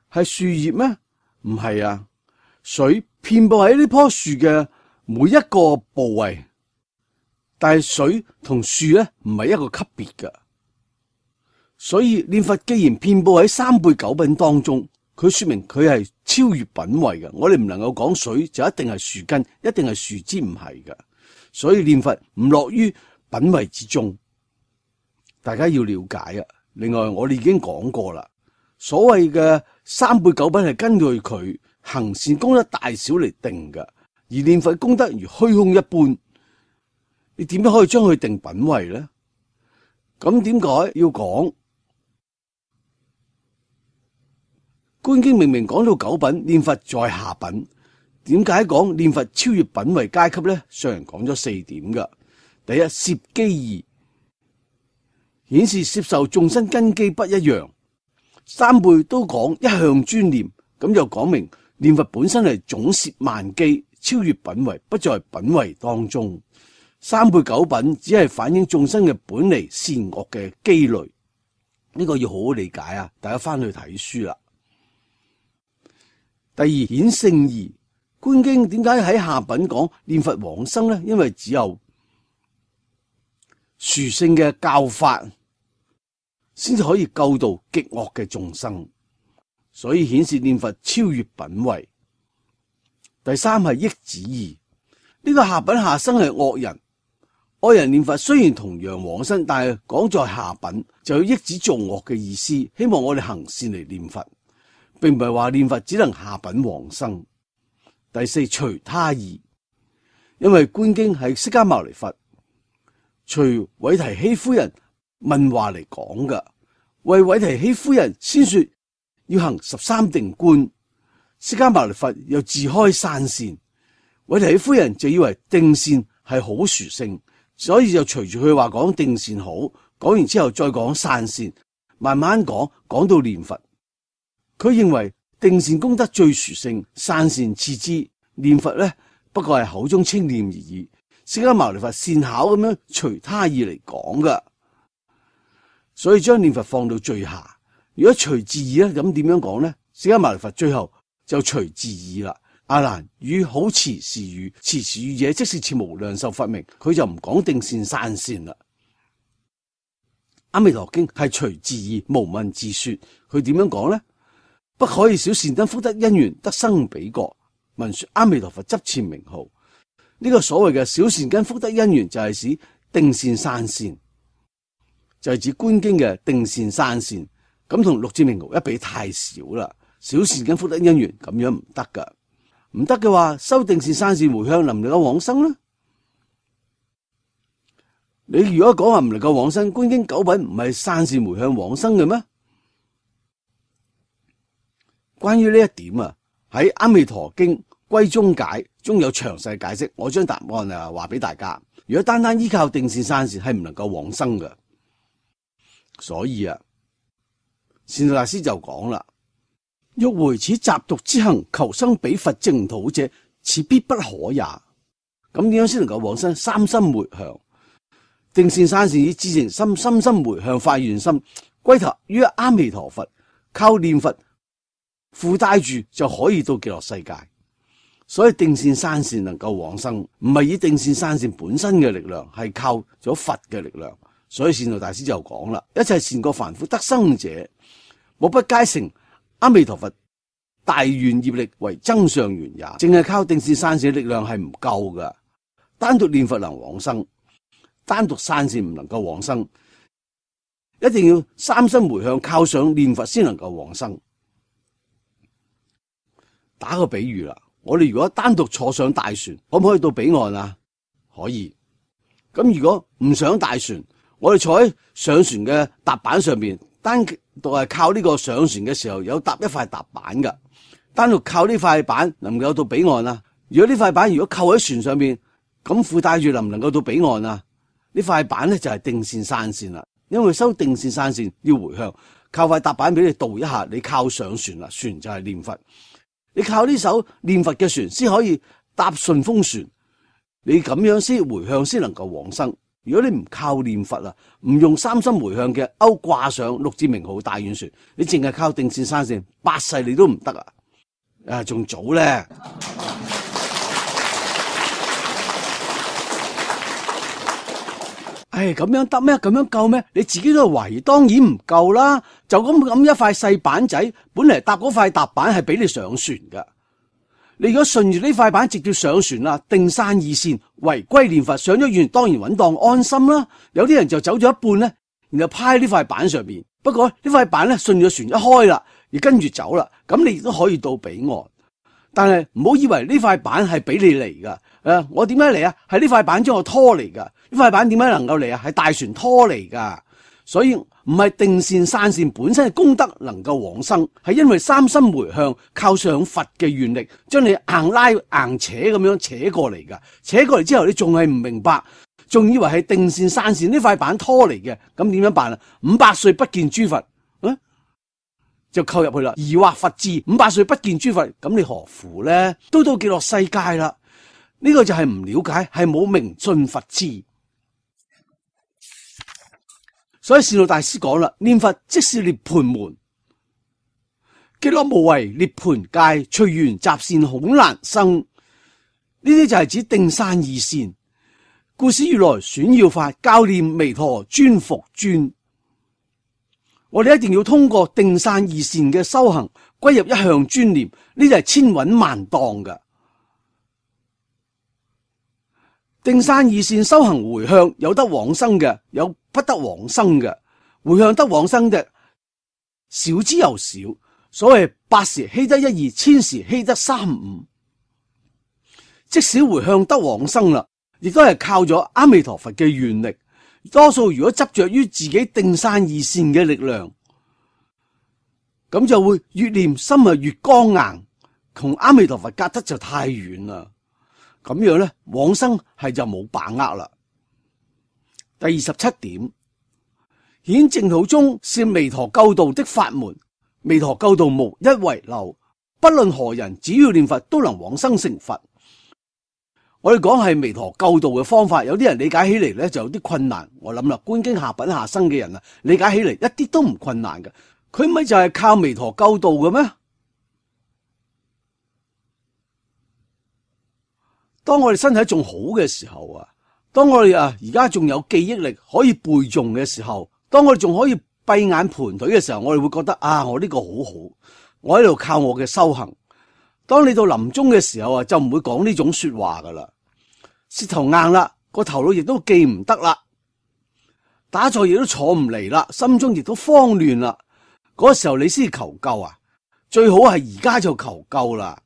係樹葉咩？唔係啊！水遍布喺呢棵樹嘅每一個部位，但係水同樹咧唔係一個級別㗎。所以念佛既然遍布喺三輩九品當中，佢說明佢係超越品位嘅。我哋唔能夠講水就一定係樹根，一定係樹枝，唔係㗎。所以念佛唔落於品位之中，大家要了解啊。另外我哋已經講過啦，所謂嘅三輩九品係根據佢行善功德大小嚟定㗎，而念佛功德如虛空一般，你點樣可以將佢定品位咧？咁點解要講？觀經明明講到九品，念佛在下品，點解講念佛超越品位階級咧？上人講咗四點噶。第一，攝基義，顯示攝受眾生根基不一樣。三輩都講一向專念，咁就講明念佛本身係總攝萬機，超越品位，不在品位當中。三輩九品只係反映眾生嘅本嚟善惡嘅機類，呢個要好好理解啊！大家翻去睇書啦。第二，顯聖義，觀經點解喺下品講念佛往生呢？因為只有殊勝嘅教法先至可以救度極惡嘅眾生，所以顯示念佛超越品位。第三係益子義，呢個下品下生係惡人，惡人念佛雖然同樣往生，但係講在下品就有益子造惡嘅意思，希望我哋行善嚟念佛，並唔係話念佛只能下品往生。第四，隨他義，因為觀經係釋迦牟尼佛隨韋提希夫人問話嚟講噶，為韋提希夫人先說要行13定觀，釋迦牟尼佛又自開散善，韋提希夫人就以為定善係好殊勝，所以就隨住佢話講定善好，講完之後再講散善，慢慢講到念佛。佢認為定善功德最殊勝，散善次之，念佛咧不過係口中稱念而已。釋迦牟尼佛善巧咁樣隨他意嚟講噶，所以將念佛放到最下。如果隨自意咧，咁點樣講咧？釋迦牟尼佛最後就隨自意啦。阿難與好持時語，持時語者即是持無量壽佛名，佢就唔講定善散善啦。阿彌陀經係隨自意無問自說，佢點樣講咧？不可以少善根福德因緣得生彼國，聞說阿彌陀佛執持名號。呢個所謂嘅小善根福德因緣就係指定善散善，就係指觀經嘅定善散善，咁同六字名號一比太少啦。小善根福德因緣咁樣唔得噶，唔得嘅話修定善散善回向能唔能夠往生呢？你如果講話唔能夠往生，觀經九品唔係散善回向往生嘅咩？關於呢一點啊，喺阿彌陀經歸宗解中有詳細解釋。我將答案話俾大家。如果單單依靠定善散善係唔能夠往生嘅，所以善導大師就講啦：欲回此雜毒之行，求生彼佛淨土者，此必不可也。咁點樣先能夠往生？三心回向，定善散善以至誠心，深深回向發願心，歸投於阿彌陀佛，靠念佛附帶住就可以到極樂世界。所以定善散善能夠往生，唔係以定善散善本身嘅力量，係靠咗佛嘅力量。所以善導大師就講啦：一切善過凡夫得生者，莫不皆成阿彌陀佛大願業力為增上緣也。淨係靠定善散善嘅力量係唔夠噶，單獨念佛能往生，單獨散善唔能夠往生，一定要三心回向，靠上念佛先能夠往生。打個比喻啦，我哋如果單獨坐上大船，可唔可以到彼岸啊？可以。咁如果唔上大船，我哋坐喺上船嘅踏板上邊，單獨係靠呢個上船嘅時候有搭一塊踏板噶，單獨靠呢塊板能唔能夠到彼岸啊？如果呢塊板如果扣喺船上邊，咁附帶住能唔能夠到彼岸啊？呢塊板咧就係定善散善啦，因為修定善散善要回向，靠塊踏板俾你渡一下，你靠上船啦，船就係念佛。你靠呢艘念佛嘅船先可以搭順風船，你咁樣先回向先能夠往生。如果你唔靠念佛唔用三心回向嘅勾掛上六字名號大願船，你淨係靠定善散善，八世你都唔得仲早咧。咁樣得咩？咁樣夠咩？你自己都懷疑，當然唔夠啦。就咁一塊細板仔，本嚟搭嗰塊踏板係俾你上船噶。你如果順住呢塊板直接上船啦，定散二善，唯歸念佛，上咗願當然穩當安心啦。有啲人就走咗一半咧，然後趴喺呢塊板上邊。不過呢塊板咧順住船一開啦，而跟住走啦，咁你亦都可以到彼岸。但係唔好以為呢塊板係俾你嚟噶。我點解嚟啊？係呢塊板將我拖嚟噶。呢塊板點解能夠嚟啊？係大船拖嚟噶。所以唔係定善散善本身嘅功德能夠往生，係因為三心回向，靠上佛嘅願力，將你硬拉硬扯咁樣扯過嚟噶。扯過嚟之後，你仲係唔明白，仲以為係定善散善呢塊板拖嚟嘅。咁點樣辦啊？500歲不見諸佛，就扣入去啦。疑惑佛智，500歲不見諸佛，咁你何苦呢？都到極樂世界啦。呢個就係唔了解，係冇明信佛智。所以善導大師講啦，念佛即是涅槃門，極樂無為涅槃界，隨緣雜善恐難生。呢啲就係指定散二善。故使如來選要法，教念彌陀尊復尊。我哋一定要通過定散二善嘅修行，歸入一向專念，呢就係千穩萬當噶。定散二善修行回向，有得往生嘅，有不得往生嘅。回向得往生嘅少之又少，所謂百時希得一二，千時希得三五。即使回向得往生啦，亦都係靠咗阿彌陀佛嘅願力。多數如果執着於自己定散二善嘅力量，咁就會越念心越剛硬，同阿彌陀佛隔得就太遠啦。咁樣咧，往生係就冇把握啦。第27點，顯淨土宗是彌陀救度的法門，彌陀救度無一遺漏，不論何人，只要念佛都能往生成佛。我哋講係彌陀救度嘅方法，有啲人理解起嚟咧就有啲困難。我諗啦，觀經下品下生嘅人理解起嚟一啲都唔困難嘅。佢咪就係靠彌陀救度嘅咩？當我哋身體仲好嘅時候當我哋而家仲有記憶力可以背誦嘅時候，當我哋仲可以閉眼盤腿嘅時候，我哋會覺得我呢個好好，我喺度靠我嘅修行。當你到臨終嘅時候就唔會講呢種說話噶啦，舌頭硬啦，個頭腦亦都記唔得啦，打坐亦都坐唔嚟啦，心中亦都慌亂啦。嗰時候你先求救最好係而家就求救啦。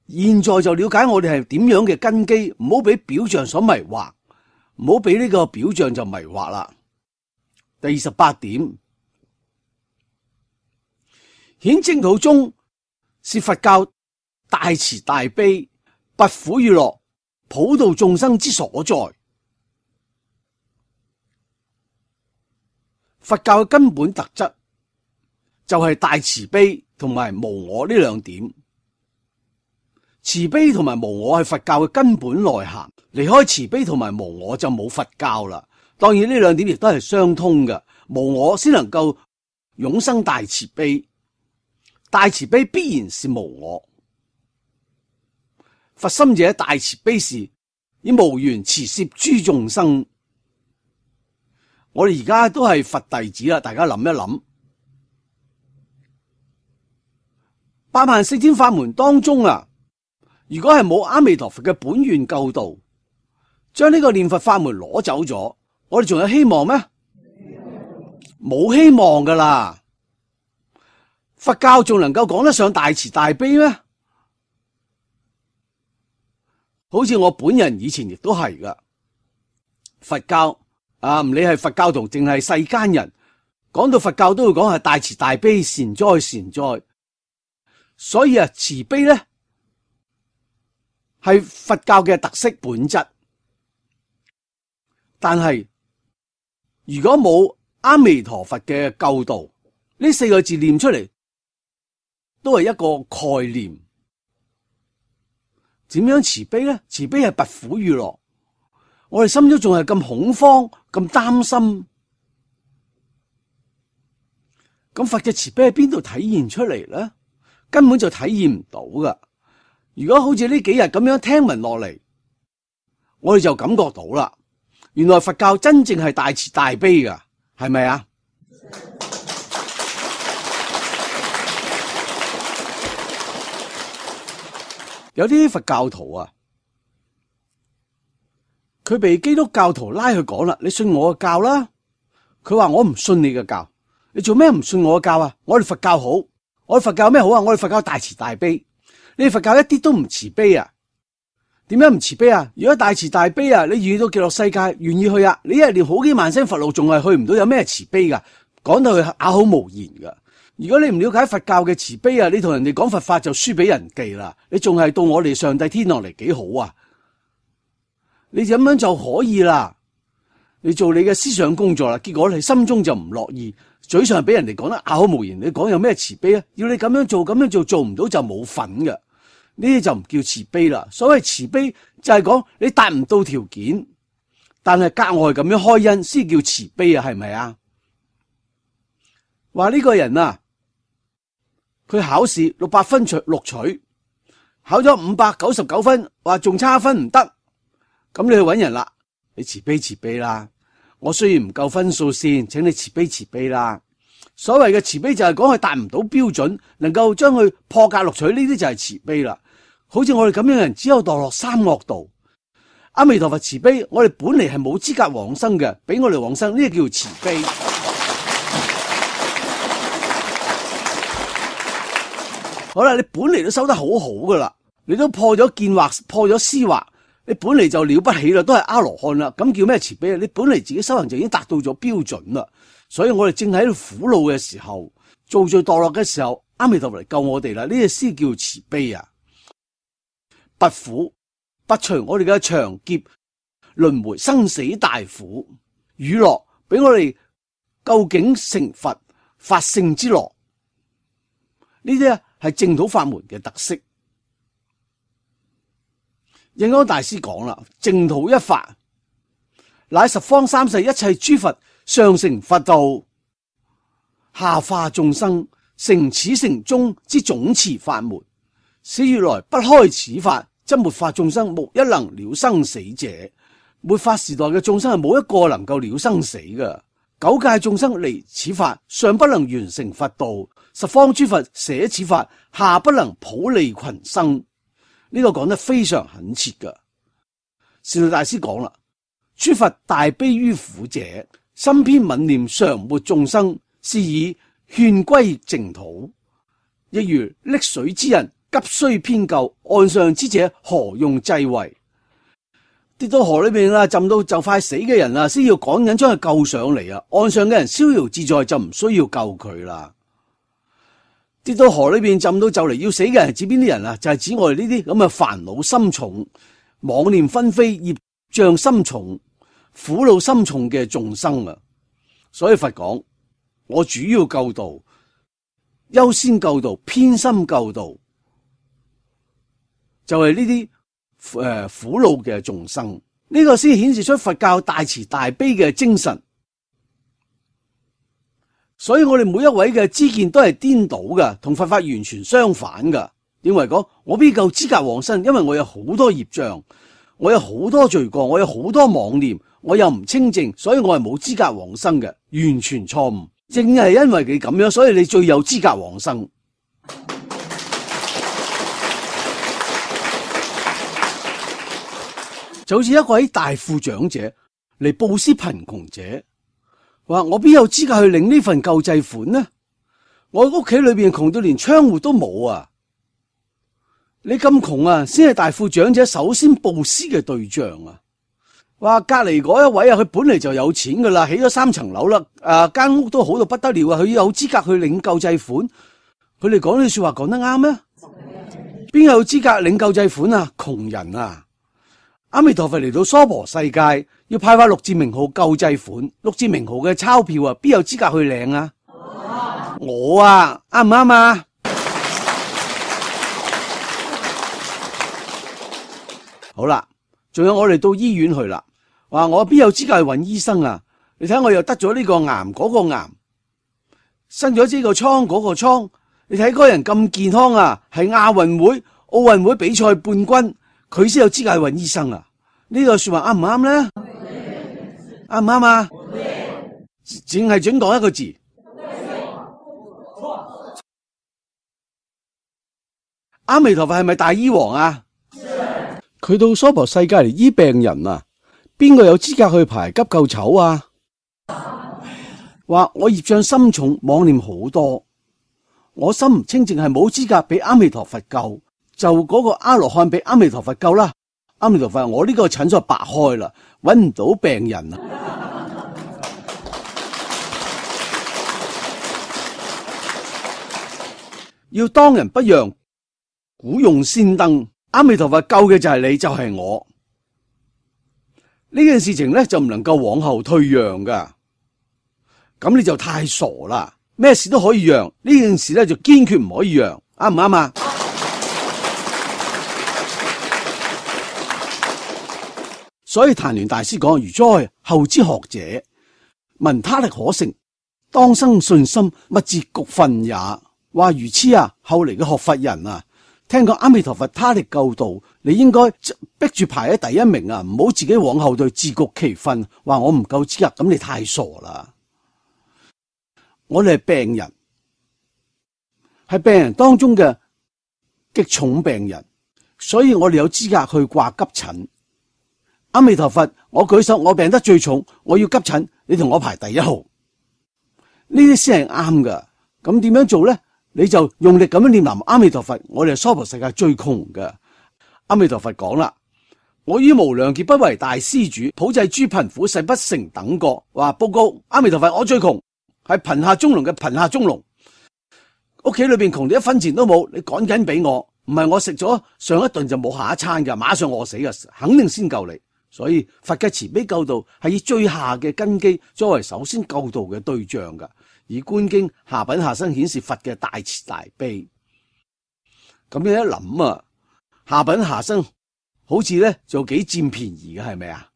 現在就了解我哋係點樣嘅根基，唔好俾表象所迷惑，唔好俾呢個表象就迷惑啦。第28點，顯淨土宗是佛教大慈大悲、不拔苦與樂，普度眾生之所在。佛教嘅根本特質就係大慈悲同埋無我呢兩點。慈悲同埋無我係佛教嘅根本內涵，離開慈悲同埋無我就冇佛教啦。當然呢兩點亦都係相通嘅，無我先能夠永生大慈悲，大慈悲必然是無我。佛心者大慈悲時，以無緣慈攝諸眾生。我哋而家都係佛弟子啦，大家諗一諗，84000天法門當中啊，如果係冇阿彌陀佛嘅本願救度，將呢個念佛法門攞走咗，我哋仲有希望咩？冇希望噶啦！佛教仲能夠講得上大慈大悲咩？好似我本人以前亦都係噶，佛教唔理係佛教徒定係世間人，講到佛教都會講係大慈大悲、善哉善哉。所以慈悲咧係佛教嘅特色本質。但係如果冇阿彌陀佛嘅救度，呢4個字念出嚟都係一個概念。點樣慈悲咧？慈悲係拔苦與樂。我哋心中仲係咁恐慌、咁擔心，咁佛嘅慈悲喺邊度體現出嚟咧？根本就體現唔到噶。如果好似呢幾日咁樣聽聞落嚟，我哋就感覺到啦，原來佛教真正係大慈大悲噶，係咪啊？有啲佛教徒啊，佢被基督教徒拉去講啦，你信我嘅教啦。佢話我唔信你嘅教，你做咩唔信我嘅教啊？我哋佛教好，我哋佛教有咩好啊？我哋佛教大慈大悲，你哋佛教一啲都唔慈悲啊？點解唔慈悲啊？如果大慈大悲啊，你遇到極樂世界願意去啊？你一日念好幾萬聲佛路，仲係去唔到，有咩慈悲噶？講到佢啞口無言噶。如果你唔了解佛教嘅慈悲啊，你同人哋講佛法就輸俾人哋啦。你仲係到我哋上帝天堂嚟幾好啊？你咁樣就可以啦，你做你嘅思想工作啦。結果你心中就唔樂意，嘴上俾人哋講得啞口無言。你講有咩慈悲啊？要你咁樣做咁樣做，做唔到就冇份嘅。呢啲就唔叫慈悲啦。所謂慈悲就係講你達唔到條件，但係格外咁樣開恩先叫慈悲啊？係咪啊？話呢個人啊，佢考試600分錄取，考咗599分，話仲差1分唔得，咁你去搵人啦，你慈悲慈悲啦。我雖然唔夠分數線，請你慈悲慈悲啦。所謂嘅慈悲就係講佢達唔到標準，能夠將佢破格錄取，呢啲就係慈悲啦。好似我哋咁樣嘅人，只有墮落3惡道。阿彌陀佛慈悲，我哋本嚟係冇資格往生嘅，俾我哋往生，呢個叫慈悲。好啦，你本嚟都修得好好噶啦，你都破咗見惑，破咗思惑，你本嚟就了不起啦，都係阿羅漢啦，咁叫咩慈悲啊？你本嚟自己修行就已經達到咗標準啦，所以我哋正喺度苦惱嘅時候，造罪墮落嘅時候，阿彌陀佛嚟救我哋啦，呢個先叫慈悲啊！拔苦，拔除我哋嘅長劫輪迴生死大苦，與樂俾我哋究竟成佛法性之樂，呢啲係淨土法門嘅特色。印光大師講啦，淨土一法，乃十方三世一切諸佛上成佛道，下化眾生成此成終之總持法門。使如來不開此法，則末法眾生無一能了生死者。末法時代嘅眾生係冇一個能夠了生死嘅。九界眾生離此法，上不能完成佛道；十方諸佛捨此法，下不能普利群生。呢個講得非常懇切噶。善導大師講啦，諸佛大悲於苦者，心偏憫念常沒眾生，是以勸歸淨土。亦如溺水之人，急需偏救，岸上之者何用濟為？跌到河裏面啦，浸到就快死嘅人啊，先要趕緊將佢救上嚟啊！岸上嘅人逍遙自在，就唔需要救佢啦。跌到河裏邊浸到就嚟要死嘅人係指邊啲人啊？就係指我哋呢啲咁嘅煩惱心重、妄念紛飛、業障心重、苦惱心重嘅眾生啊！所以佛講，我主要救度、優先救度、偏心救度，就係呢啲苦惱嘅眾生。呢個先顯示出佛教大慈大悲嘅精神。所以我哋每一位嘅知見都係顛倒嘅，同佛法完全相反嘅。認為講我邊夠資格往生，因為我有好多業障，我有好多罪過，我有好多妄念，我又唔清淨，所以我係冇資格往生嘅，完全錯誤。正係因為你咁樣，所以你最有資格往生。就好似一位大富長者嚟布施貧窮者。話我邊有資格去領呢份救濟款呢？我屋企裏邊窮到連窗戶都冇啊！你咁窮啊，先係大富長者首先布施嘅對象啊！話隔籬嗰一位啊，佢本嚟就有錢噶啦，起咗3層樓啦，間屋都好到不得了啊！佢有資格去領救濟款？佢哋講呢句說話講得啱咩？邊有資格領救濟款啊？窮人啊！阿彌陀佛嚟到娑婆世界，要派發六字名號救濟款，六字名號嘅鈔票啊，邊有資格去領啊？我啊，啱唔啱啊？好啦，仲有我哋到醫院去啦，話我邊有資格去揾醫生啊？你睇我又得咗呢個癌嗰個癌，生咗呢個瘡嗰個瘡，你睇嗰個人咁健康啊，係亞運會、奧運會比賽冠軍。佢先有資格去揾醫生啊！呢個說話啱唔啱咧？啱唔啱啊？淨係準講一個字。阿彌陀佛係咪大醫王啊？佢到娑婆世界嚟醫病人啊！邊個有資格去排急救籌啊？話我業障深重，妄念好多，我心唔清淨，係冇資格俾阿彌陀佛救。就嗰個阿羅漢俾阿彌陀佛救啦，阿彌陀佛，我呢個診所白開啦，揾唔到病人啊！要當仁不讓，古用先登。阿彌陀佛救嘅就係你，就係我。呢件事情咧就唔能夠往後退讓噶，咁你就太傻啦！咩事都可以讓，呢件事咧就堅決唔可以讓，啱唔啱啊？所以曇鸞大師講：如哉後之學者，聞他力可成，當生信心，勿自局分也。話如此啊，後嚟嘅學佛人啊，聽講阿彌陀佛他力救度，你應該逼住排喺第一名啊，唔好自己往後退，自局其分。話我唔夠資格，咁你太傻啦！我哋係病人，係病人當中嘅極重病人，所以我哋有資格去掛急診。阿彌陀佛，我舉手，我病得最重，我要急診，你同我排第一號，呢啲先係啱噶。咁點樣做咧？你就用力咁樣念南無阿彌陀佛。我哋係娑婆世界最窮嘅。阿彌陀佛講啦：我於無量劫不為大施主，普濟諸貧苦，誓不成等過。話報告阿彌陀佛，我最窮，係貧下中農嘅貧下中農，屋企裏邊窮到一分錢都冇，你趕緊俾我，唔係我食咗上一頓就冇下一餐噶，馬上餓死噶，肯定先救你。所以佛嘅慈悲救度係以最下嘅根基作為首先救度嘅對象噶，以觀經下品下生顯示佛嘅大慈大悲。咁你一諗啊，下品下生好似咧就幾佔便宜嘅，係咪啊？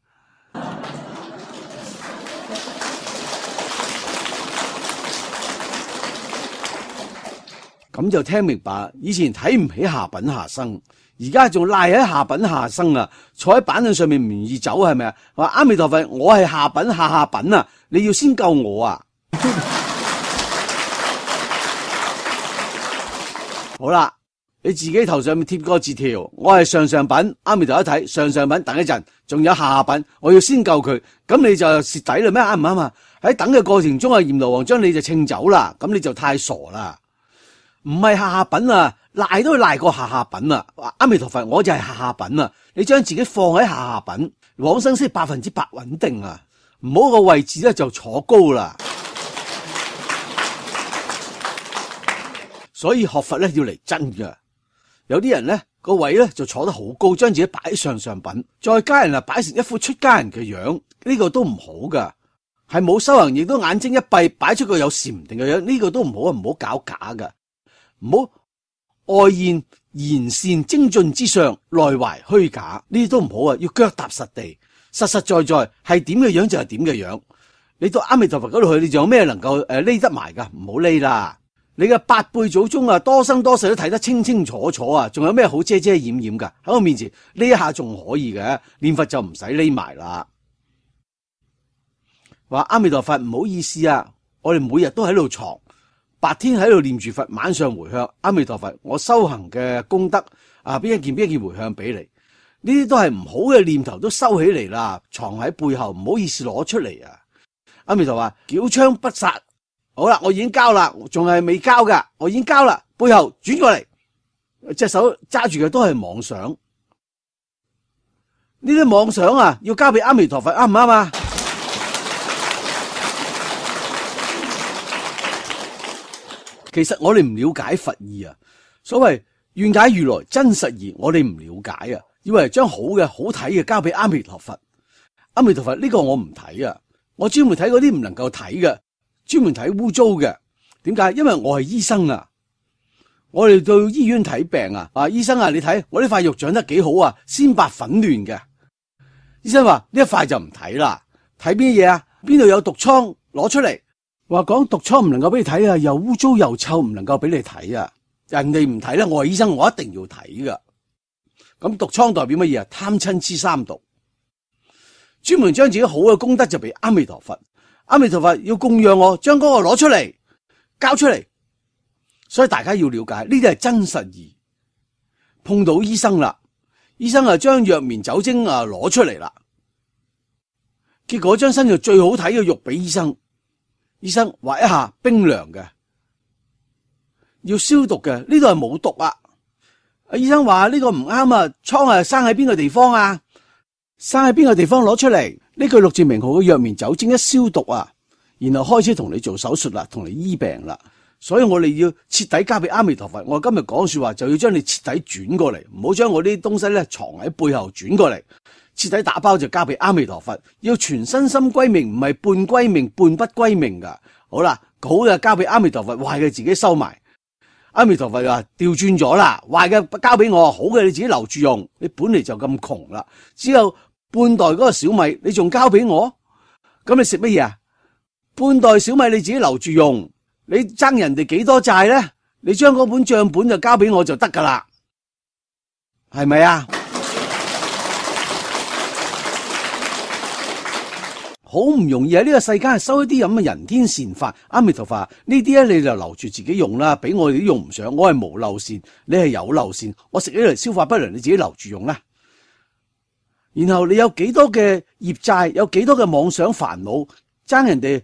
咁就聽明白，以前睇唔起下品下生。而家仲賴喺下品下生啊，坐喺板凳上面唔願意走，係咪啊？話阿彌陀佛，我係下品下品啊，你要先救我啊！好啦，你自己頭上面貼個字條，我係上品，阿彌陀一睇上品，等一陣，仲有下品，我要先救佢，咁你就蝕底啦咩？啱唔啱啊？喺等嘅過程中啊，閻羅王將你就稱走啦，咁你就太傻啦！唔係下品啊！賴都賴過下品啊！阿彌陀佛，我就係下品啊！你將自己放喺下品，往生先100%穩定啊！唔好個位置咧就坐高啦。所以學佛咧要嚟真㗎。有啲人咧個位咧就坐得好高，將自己擺上上品，再加人擺成一副出家人嘅樣，呢個都唔好噶。係冇修行，亦都眼睛一閉，擺出個有禪定嘅樣，呢個都唔好啊！唔好搞假噶，唔好外現賢善精進之相，內懷虛假，呢啲都唔好啊！要腳踏實地，實實在在係點嘅樣就係點嘅樣。你到阿彌陀佛嗰度去，你仲有咩能夠匿得埋噶？唔好匿啦！你嘅八輩祖宗啊，多生多世都睇得清清楚楚啊！仲有咩好遮遮掩掩噶？喺我面前呢一下仲可以嘅，念佛就唔使匿埋啦。話阿彌陀佛唔好意思啊，我哋每日都喺度藏，白天喺度念住佛，晚上回向阿彌陀佛，我修行嘅功德啊，邊一件回向俾你，呢啲都係唔好嘅念頭，都收起嚟啦，藏喺背後，唔好意思攞出嚟啊！阿彌陀佛話繳槍不殺。好啦，我已經交啦，仲係未交噶，我已經交啦。背後轉過嚟，隻手揸住嘅都係妄想，呢啲妄想啊，要交俾阿彌陀佛，啱唔啱啊？其實我哋唔了解佛意啊，所謂願解如來真實義，我哋唔了解啊，以為將好嘅好睇嘅交俾阿彌陀佛。阿彌陀佛呢個我唔睇啊，我專門睇嗰啲唔能夠睇嘅。專門睇污糟嘅，點解？因為我係醫生啊，我哋到醫院睇病啊，醫生啊，你睇我呢塊肉長得幾好啊，鮮白粉嫩嘅。醫生話呢一塊就唔睇啦，睇邊嘢啊？邊度有毒瘡攞出嚟？話講毒瘡唔能夠俾你睇啊，又污糟又臭，唔能夠俾你睇啊。人哋唔睇咧，我係醫生，我一定要睇噶。咁毒瘡代表乜嘢啊？貪嗔癡三毒，專門將自己好嘅功德就俾阿彌陀佛。阿彌陀佛要供養我，將嗰個攞出嚟，交出嚟，所以大家要了解呢啲係真實義。碰到醫生啦，醫生啊將藥棉酒精啊攞出嚟啦，結果將身上最好睇嘅肉俾醫生，醫生劃一下冰涼嘅，要消毒嘅，呢度係冇毒啊。醫生話呢個唔啱啊，瘡啊生喺邊個地方啊？生喺邊個地方攞出嚟？呢句六字名號嘅藥棉酒精一消毒啊，然後開始同你做手術啦，同你醫病啦。所以我哋要徹底交俾阿彌陀佛。我今日講說話就要將你徹底轉過嚟，唔好將我啲東西咧藏喺背後轉過嚟，徹底打包就交俾阿彌陀佛。要全身心歸命，唔係半歸命半不歸命噶。好啦，好嘅交俾阿彌陀佛，壞嘅自己收埋。阿彌陀佛話調轉咗啦，壞嘅交俾我，好嘅你自己留住用。你本嚟就咁窮啦，只有半袋嗰個小米，你仲交俾我？咁你食乜嘢啊？半袋小米你自己留住用，你爭人哋幾多債咧？你將嗰本賬本就交俾我就得噶啦，係咪啊？好唔容易喺呢個世間收一啲咁嘅人天善法，阿彌陀佛呢啲咧你就留住自己用啦，俾我哋都用唔上。我係無漏善，你係有漏善，我食起嚟消化不良，你自己留住用啦。然後你有幾多嘅業債，有幾多嘅妄想煩惱，爭人哋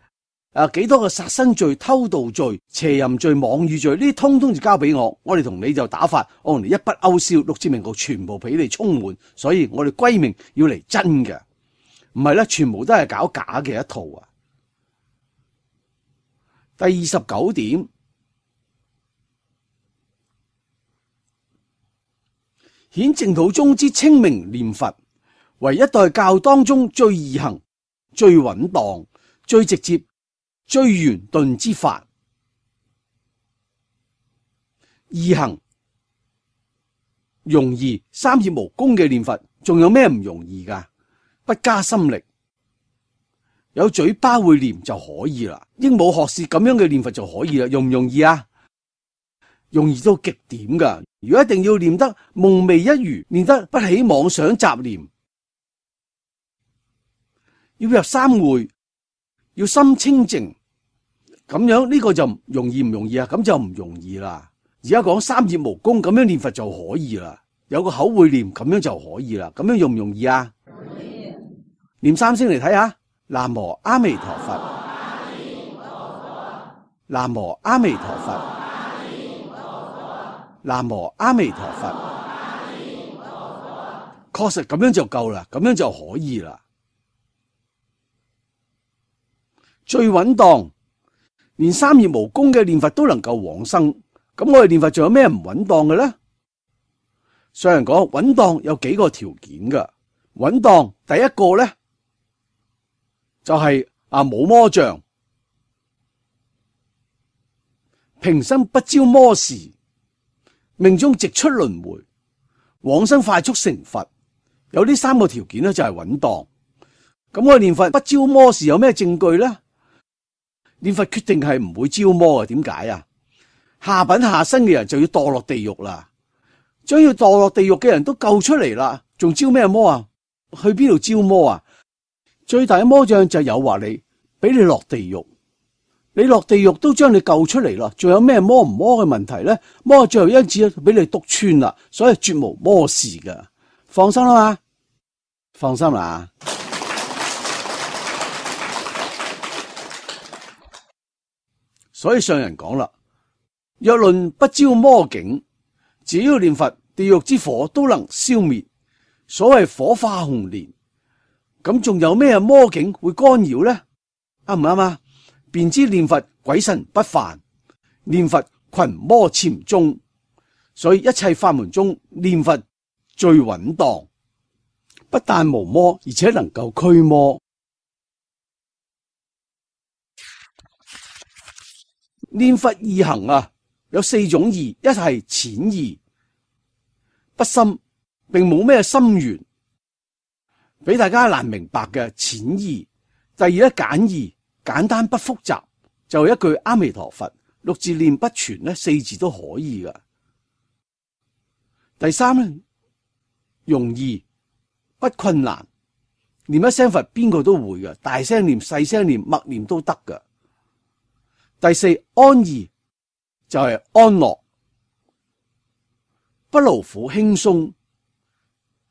幾多嘅殺生罪、偷盜罪、邪淫罪、妄語罪，呢啲通通就交俾我，我哋同你就打法，我同你一筆勾銷，六字名號全部俾你充滿。所以我哋歸命要嚟真嘅，唔係咧，全部都係搞假嘅一套啊。第29點，顯淨土中之清明念佛，為一代教當中最易行、最穩當、最直接、最圓頓之法。易行容易，三業無功嘅念佛，仲有咩唔容易噶？不加心力，有嘴巴會念就可以啦。鸚鵡學舌咁樣嘅念佛就可以啦，容唔容易啊？容易到極點噶。如果一定要念得夢寐一如，念得不起妄想雜念，要入三會，要心清淨，咁樣呢個就容易唔容易啊？咁就唔容易啦。而家講三業無功咁樣念佛就可以啦，有個口會念咁樣就可以啦。咁樣容唔容易啊？念三聲嚟睇下，南無阿彌陀佛，南無阿彌陀佛，南無阿彌陀佛，確實咁樣就夠啦，咁樣就可以啦。最穩當，連三業無功嘅念佛都能夠往生，咁我哋念佛仲有咩唔穩當嘅咧？上人講穩當有幾個條件㗎。穩當第一個咧就係冇魔障，平生不招魔事，命中直出輪迴，往生快速成佛。有呢三個條件咧就係穩當。咁我哋念佛不招魔事有咩證據咧？念佛決定係唔會招魔嘅。點解啊？下品下生嘅人就要墮落地獄啦，將要墮落地獄嘅人都救出嚟啦，仲招咩魔啊？去邊度招魔啊？最大嘅魔障就係誘惑你，俾你落地獄。你落地獄都將你救出嚟啦，仲有咩魔唔魔嘅問題咧？魔最後因此俾你篤穿啦，所以絕無魔事噶。放心啦嘛，放心啦。所以上人講啦，若論不招魔境，只要念佛，地獄之火都能消滅。所謂火化紅蓮，咁仲有咩魔境會干擾呢？啱唔啱啊？便知念佛鬼神不犯，念佛群魔潛蹤。所以一切法門中，念佛最穩當，不但無魔，而且能夠驅魔。念佛易行有四種易，一係淺易，不深，並冇咩心緣，俾大家難明白嘅淺易。第二咧簡易，簡單不複雜，就一句阿彌陀佛，六字念不全咧，四字都可以噶。第三咧容易不困難，念一聲佛邊個都會噶，大聲念細聲念默念都得噶。第四安易，就係安樂，不勞苦輕鬆，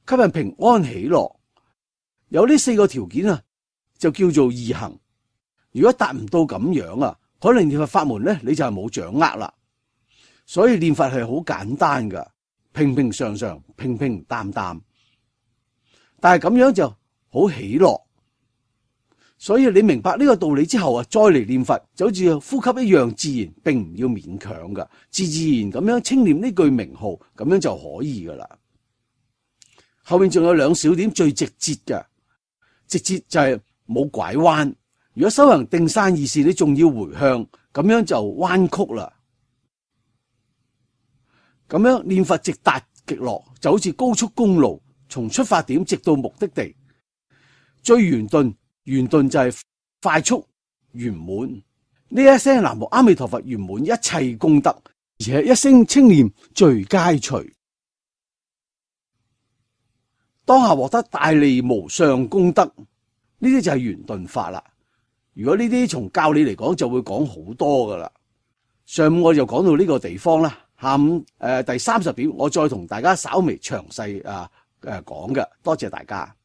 給人平安喜樂。有呢四個條件就叫做易行。如果達唔到咁樣可能念佛法門咧你就係冇掌握啦。所以念佛係好簡單噶，平平常常，平平淡淡，但係咁樣就好喜樂。所以你明白呢個道理之後再嚟念佛就好似呼吸一樣自然，並唔要勉強噶，自自然咁樣稱念呢句名號，咁樣就可以噶啦。後面仲有兩小點最直接嘅，直接就係冇拐彎。如果修行定山二事，你仲要回向，咁樣就彎曲啦。咁樣念佛直達極樂，就好似高速公路，從出發點直到目的地，最圓頓。圓頓就係快速圓滿。呢一聲南無阿彌陀佛圓滿一切功德，而且一聲稱念最佳隨，當下獲得大利無上功德。呢啲就係圓頓法啦。如果呢啲從教理嚟講就會講好多噶啦。上午我就講到呢個地方啦，下午第30點我再同大家稍微詳細講嘅。多謝大家。